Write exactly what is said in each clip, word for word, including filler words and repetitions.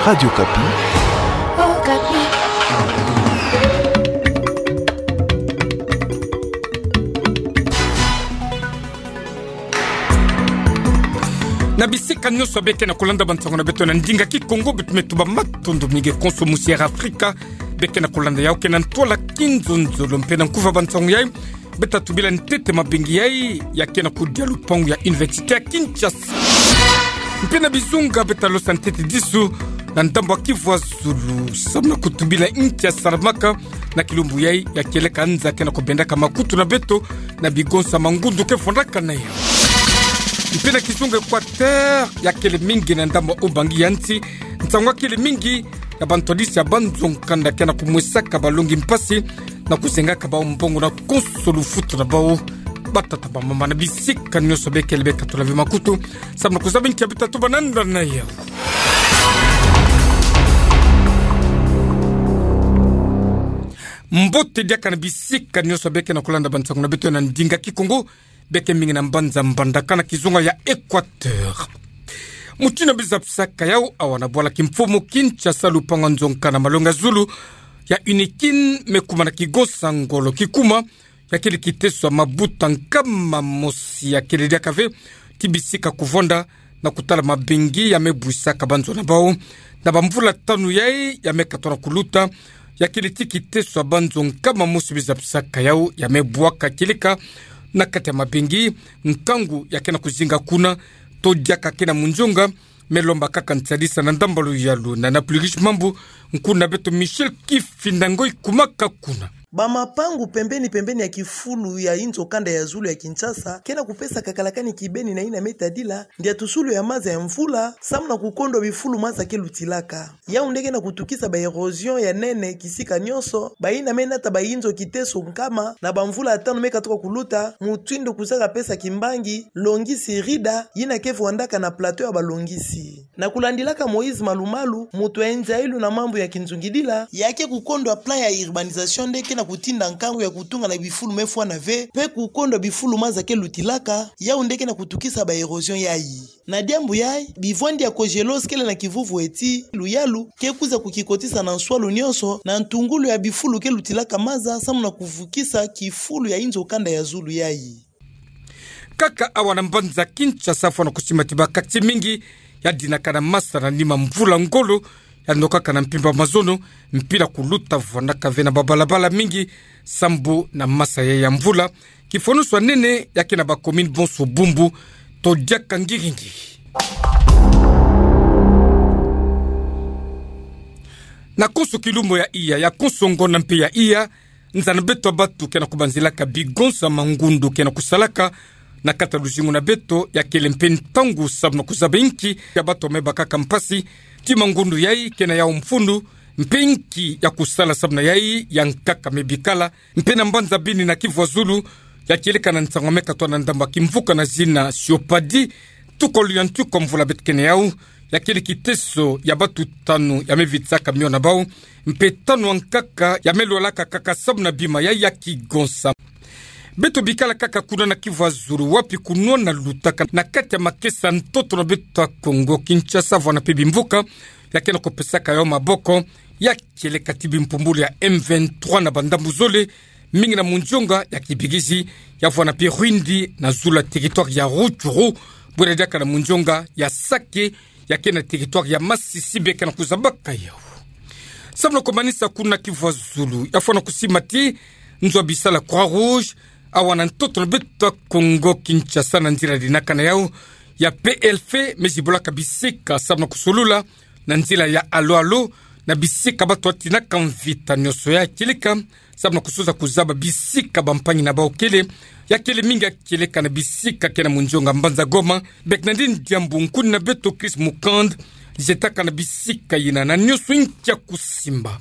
Radio Okapi. Okapi. Na bisika nyonso beke na kolanda bansango na beto na ndinga Kikongo, beto me tuba matondo mingi konso musi Air Afrika. Beke na kolanda yau ke na ntwala kinzonzolo mpe na nkufa bansango yai. Beta tubila ntete mabengi yai ya ke na kudia lupangu ya Université ya Kinshasa. Mpe na bizunga beta losa ntete disu na ndambu ya Kivu ya Zulu, samu na kutubila nki ya salamaka na kilumbu yai ya kieleka nza ke na kubendaka makutu na beto na bigonsa mangundu ke fondaka na yau. Mpe na kizunga Équateur ya kele mingi na ndambu ya Ubangi ya nsi, nsangu ya kele mingi ya bantwadisi ya banzo nkanda ke na kumwesaka balongi mpasi na kuzengaka bau mbongo na konso lufutu na bau. Batata bamama na bisika nyonso bekele beka tula ve makutu, samu na kuzaba nki ya beta tuba na nda na yau. Mbote diaka na bisika nyonso beke na kolanda bansango na beto na ndinga Kikongo, beke mingi na mbanza Mbandaka na kizunga ya Équateur. Mutindu bizapisaka yau, awa na bwala kimfumu Kinshasa, lupangu ya nzo nkanda na malongi ya zulu ya UNIKIN me kuma na kigonsa ngolo kikuma ya kele kiteso ya mabuta nkama mosi ya kele diaka ve ti bisika kuvonda na kutala mabengi ya me bwisaka banzo na bau na bamvula tanu yai ya me katona kuluta. Ya kele ti kiteso ya banzo nkama mosi bizapisaka yau ya me bwaka kieleka na kati ya mabengi, nkangu ya ke na kuzinga kuna to diaka ke na munzonga. Me lomba kaka nsadisa na ndambu ya luyalu na na Plurish Mambu, nkuna beto Michel Kifinda Ngoi kumaka kuna. Bamapangu pembeni pembeni ya kifulu ya inzo kanda ya zulu ya Kinshasa ke na kupesa kakalakani kibeni na yina me tadila ndiatusulu ya maza ya mvula, samu na kukondwa bifulu maza ke lutilaka. Yau nde ke na kutukisa ba érosion ya nene kisika nyonso, bayina me nata ba inzo kiteso nkama na bamvula tanu me katuka kuluta, mutindu kuzaka pesa kimbangi, longisi Rida, yina ke vwandaka na plateau ya balongisi. Na kulandilaka Moïse Malumalu, mutu ya nzayilu na mambu ya kinzungidila, ya ke kukondwa plan ya urbanisation nde ke na kutinda nkangu ya kutunga na bifulu me fwana ve, mpe kukondwa bifulu maza ke lutilaka, yau nde ke na kutukisa ba érosion yai. Na diambu yai, bivwandi ya Cogelos kele na kivuvu ti luyalu ke kwiza kukikotisa na nswalu nyonso na ntungulu ya bifulu ke lutilaka maza, samu na kuvukisa kifulu ya inzo kanda ya zulu yai. Kaka awa na mbanza Kinshasa, fwana kusima ti ba quartier mingi ya dinaka na masa na nima mvula ngolo ya nokaka na mpimpa mazono, mpila kuluta vwanaka ve na babalabala mingi sambu na masa ya, ya mvula. Kifonusu ya nene ya ke na ba commune bonso bumbu to diaka ngiri-ngiri. Na konso kilumbu ya iya, ya konso ngonda mpe ya iya, nza na beto ya batu ke na kubanzilaka bigonsa mangundu ke na kusalaka na kati ya luzingu na beto, ya kele mpe ntangu samu na kuzaba inki ya batu ya me bakaka mpasi ti mangundu yai ke na yau mfunu, mpe inki ya kusala samu na yai ya nkaka me bikala. Mpe na mbanza Beni na Kivu ya Zulu, ya kieleka na nsangu ya me katwa na ndambu ya kimvuka na zina Siopadi, tukolo ya ntuku ya mvula beto ke na yau, ya kele kiteso ya batu tanu ya me vitisaka mio na bau, mpe tanu ya nkaka ya me lwalaka kaka samu na bima yai ya kigonsa. Beto bikala kaka kuna na Kivu ya Zulu, wapi kunwa na lutaka na kati ya makesa ntoto na beto ya Kongo Kinshasa, vwana mpe bimvuka ya ke na kupesaka yau maboko, ya kieleka ti bimpumbulu ya M vingt-trois na bandambu zole, mingi na munzonga ya Kibirizi, ya vwana mpe Rwindi na zulu ya territoire ya Rutshuru, bwela diaka na munzonga ya Sake, ya ke na territoire ya Masisi, beke na kuzabaka yau. Samu na kumanisa kuna Kivu ya Zulu, ya fwana kusima ti nzo ya bisala Croix-Rouge awa na ntoto na beto ya Kongo Kinshasa, na nzila dinaka na yau ya P L F, me zibulaka bisika samu na kusolula na nzila ya alo-alo na bisika batu batinaka mvita nyonso ya kieleka, samu na kusosa kuzaba bisika bampangi na bau kele, ya kele mingi ya kieleka na bisika ke na munzonga mbanza Goma. Beke na ndi diambu nkuni na beto Chris Mukand zetaka na bisika yina na nyonso inki ya kusimba.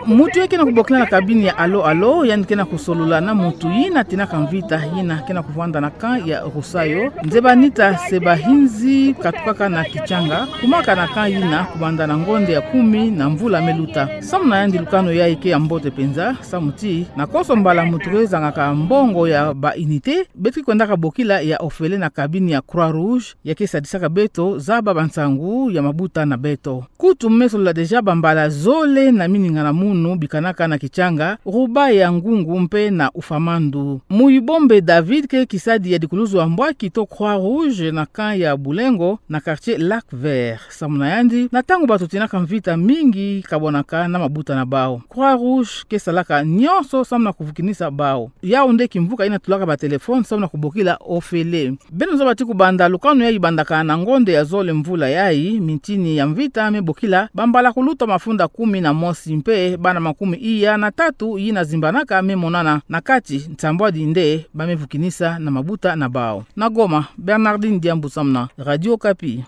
Mutu ya ke na kubokila na cabine ya alo-alo, yandi ke na kusolola na mutu yina atinaka mvita, yina ke na kuvwanda na camp ya Rusayo. Nzeba nita se bahinzi katukaka na Kitshanga, kumaka na camp yina kubanda na ngonda ya kumi na mvula me luta. Samu na yandi lukanu yai ke ya mbote mpenza, samu ti na konso mbala mutu ke zangaka mbongo ya ba unité, beto ke kwendaka bokila ya ofele na cabine ya Croix-Rouge, ya ke sadisaka beto zaba bansangu ya mabuta na beto. Kutu me solola déjà bambala zole na miningana munu bikanaka na Kichanga, Ruba ya Ngungu mpe na Ufamandu. Muyibombe David ke kisadi ya dikuluzu ya mbwaki to Croix Rouge na camp ya Bulengo na quartier Lac Vert. Samu na yandi, na ntangu bato tinaka mvita, mingi kabonaka na mabuta na bawu. Croix Rouge ke salaka nyonso samu na kuvukinisa bawu. Yawu nde kimvuka yina tulaka batelefone samu na kubokila ofele. Beno zaba ti kubanda lukanu yayi bandaka na ngonde ya zole mvula yayi, mintini ya mvita me bokila bambala kuluta mafunda kumi na mosi mpe bana makumi iya na tatu yina zimbanaka me monana na kati, nsambwadi nde ba me vukinisa na mabuta na bawu. Na Goma, Bernardine Diambu samu na Radio Okapi.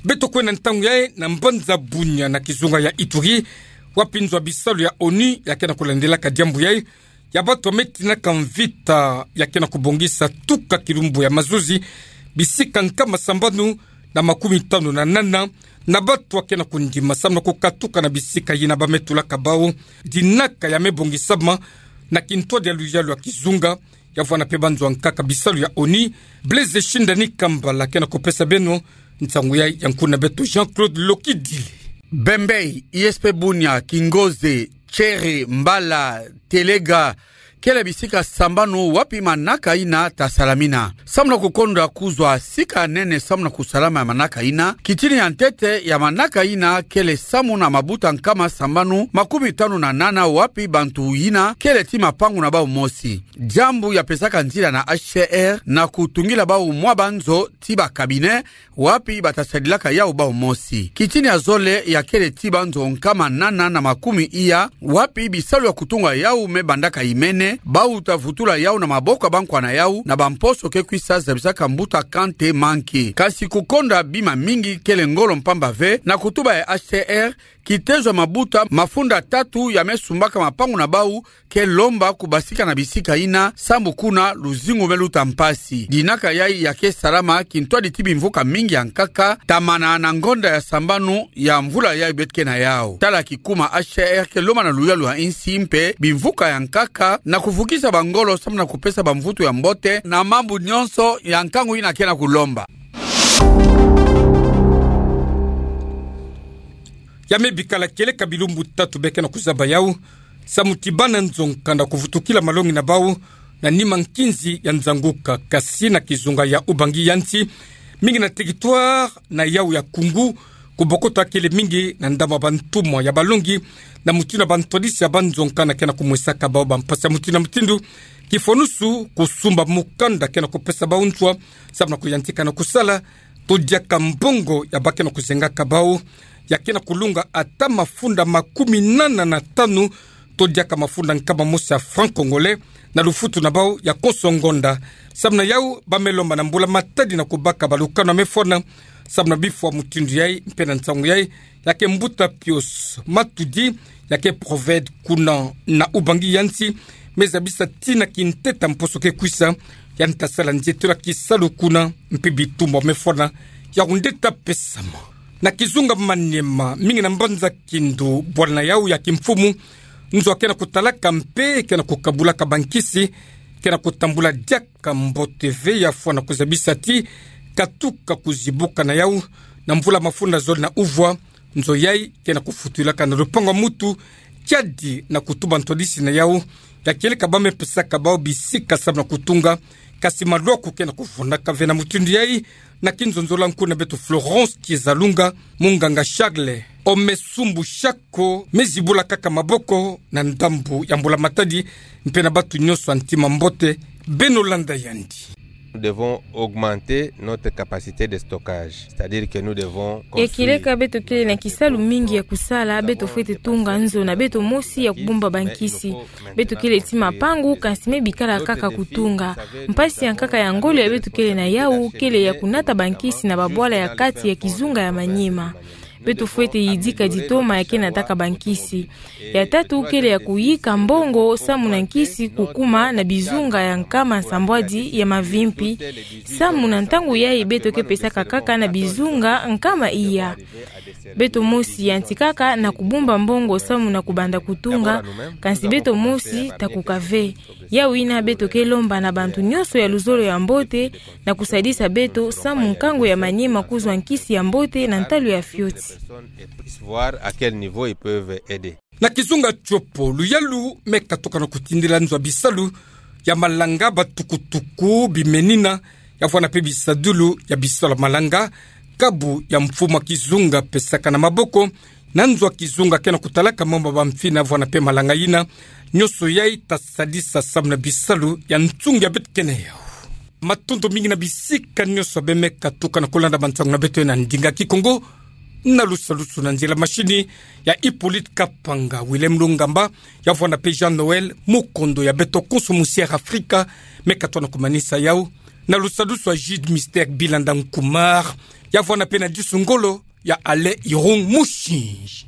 Beto kwenda ntangu yayi na mbanza Bunia na kizunga ya Ituri, wapi nzo ya bisalu ya ONU ya ke na kulandelaka diambu yayi, ya bato ya me tinaka mvita ya ke na kubongisa tuka kilumbu ya mazuzi bisika nkama sambanu na makumi tanu na nana na bato ya ke na kundima samu na kukatuka na bisika yina ba me tulaka bawu. Dinaka ya me bongisama na kintwadi ya luyalu ya kizunga, ya vwanda mpe banzo ya nkaka bisalu ya ONU. Blaise Shindani Kambala ke na kupesa beno nsangu yayi, ya nkuna beto Jean-Claude Lokidile. Bembei, I S P Bunia, Kingoze, Tchere, Mbala, Telega, kele bisika sambanu wapi manaka yina ta salamina. Samu na kukonda kuzwa sika nene samu na kusalama ya manaka yina, kitini ya ntete ya manaka yina kele samu na mabuta nkama sambanu makumi tanu na nana wapi bantu yina kele ti mapangu na bawu mosi. Diambu ya pesaka nzila na H C R na kutungila bawu mwa banzo ti ba cabinet, wapi ba ta sadilaka yawu bawu mosi. Kitini ya zole ya kele ti banzo nkama nana na makumi iya, wapi bisalu ya kutunga yawu me bandaka imene, bawu ta vutula yawu na maboko ya bankwa na yawu, na bamposo ke kwisa zabisaka mbuta Kante Manke. Kasi kukonda bima mingi kele ngolo mpamba ve, na kutuba ya H C R, kitezo ya mabuta mafunda tatu ya me sumbaka mapangu na bawu ke lomba kubasika na bisika yina, sambu kuna luzingu me luta mpasi. Dinaka yayi ya ke salama kintwadi ti bimvuka mingi ya nkaka, tamana na ngonda ya sambanu ya mvula yayi beto ke na yawu. Tala kikuma H C R ke lomba na luyalu ya insi mpe bimvuka ya nkaka na kuvukisa bangolo samu na kupesa bamvutu ya mbote na mambu nyonso ya nkangu yina ke na kulomba. Ya me bikala kieleka bilumbu tatu be ke na kuzaba yawu, samu ti bana nzo-nkanda kuvutukila malongi na bawu na nima nkinzi ya nzanguka, kasi na kizunga ya Ubangi ya nsi, mingi na territoire na yawu ya Koungou, kubokota kele mingi na ndambu ya bantumwa ya balongi na mutindu ya bantwadisi ya banzo-nkanda ke na kumwesaka bawu bampasi ya mutindu na mutindu, kifwanusu kusumba mukanda ke na kupesa bawu nswa samu na kuyantika na kusala, to diaka mbongo ya ba ke na kuzengaka bawu, ya ke na kulunga ata mafunda makumi nana na tanu, to diaka mafunda nkama mosi ya franc congolais, na lufutu na bawu ya konso ngonda. Samu na yawu, ba me lomba na mbula matadi na kubaka balukanu ya me fwana samu na bifwa mutindu yayi mpe na nsangu yayi, ya ke mbuta Pius Matudi, ya ke proved kuna na Ubangi ya nsi, me zabisa ti na kinteta mposo ke kwisa, yandi ta sala nzietelo ya kisalu kuna, mpe bitumba ya me fwana, yawu nde ta pesama. Na kizunga Maniema, mingi na mbanza Kindu, bwala na yawu ya kimfumu, nzo ya ke na kutalaka mpe ke na kukabulaka bankisi ke na kutambula diaka mbote ve, ya fwana kuzabisa ti katuka kuzibuka na yawu na mvula mafunda zole na uvwa, nzo yayi ke na kufutulaka na lupangu ya mutu, kiadi na kutuba ntwadisi na yawu, ya kieleka ba me pesaka bawu bisika samu na kutunga, kasi malwaku ke na kuvundaka ve. Na mutindu yayi, na kinzonzolo, nkuna beto Florence Kiezalunga, munganga Charles Omesumbu Shako, me zibula kaka maboko na ndambu ya mbula matadi, mpe na bato nyonso ya ntima mbote, beno landa yandi. Nous devons augmenter notre capacité de stockage, c'est-à-dire que nous devons construire. Ya kieleka beto kele na kisalu mingi ya kusala, beto fwete tunga nzo na beto mosi ya kubumba bankisi. Beto kele ti mapangu, kasi me bikala kaka kutunga. Mpasi ya nkaka ya ngolo ya beto kele na yawu kele ya kunata bankisi na babwala ya kati ya kizunga ya Maniema. Beto fwete yidika ditoma ya ke nataka bankisi. Ya tatu kele ya kuyika mbongo samu na nkisi kukuma na bizunga ya nkama nsambwadi ya mavimpi, samu na ntangu yayi beto ke pesaka kaka na bizunga nkama iya. Beto mosi yantikaka na kubumba mbongo samu na kubanda kutunga, kasi beto mosi takuka ve. Yau yina beto ke lomba na bantu nyonso ya luzolo ya mbote na kusadisa beto samu nkangu ya Maniema kuzwa nkisi ya mbote na ntalu ya fioti. Na kizunga Tshopo, luyalu me katoka na kutindila nzwa bisalu ya malanga, batukutuku, bimenina, ya vwanda pe bisadulu ya bisalu ya malanga, kabu ya mfumu a kizunga pesaka na maboko, na nzwa kizunga ke na kutalaka mambu ma bamfina ya vwanda pe malanga yina, nyonso yayi ta sadisa samu na bisalu ya nsungi ya beto kena yau. Matondo mingi na bisika nyonso beme katuka na kulanda bansangu na beto na ndinga Kikongo. Na lusadusu na nzila mashini ya Hippolyte Kapanga, Willem Lungamba, ya vwanda pe Jean Noël, mokondo ya beto konso musi Air Afrika, me katoka na kumanisa yau. Na lusadusu ya Jude Mister Bilanda Nkumar, ya vwanda pe na disu ngolo ya Alain Irung Mushinji.